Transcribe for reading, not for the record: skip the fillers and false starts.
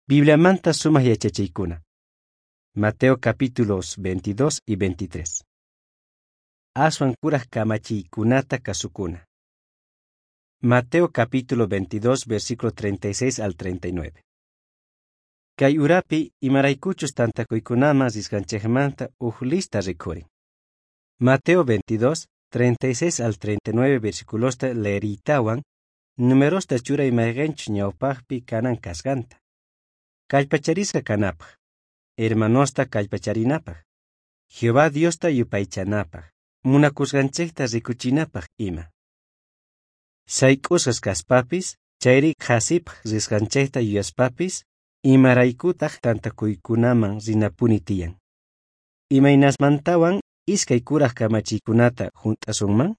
Bibliamanta sumaj yachachiykuna. Mateo capítulos 22 y 23. Aswan kuraj kamachiykunata kasukuna. Mateo capítulo 22, versículo 36 al 39. Kay urapi imaraykuchus tantakuykunaman risqanchejmanta uj lista rikhurin. Mateo 22, 36 al 39 versiculosta leeriytawan, numerosta churay mayqenchus ñawpajpi kanan kasqanta. Kallpacharisqa kanapaj, hermanosta kallpacharinapaj, Jehová Diosta yupaychanapaj, munakusqanchejta rikuchinapaj ima. Sayk'usqas kaspapis, chayri qhasipaj risqanchejta yuyaspapis, imaraykutaj tantakuykunaman rinapuni tiyan. Imaynasmantawan iskay kuraj kamachiykunata junt'asunman?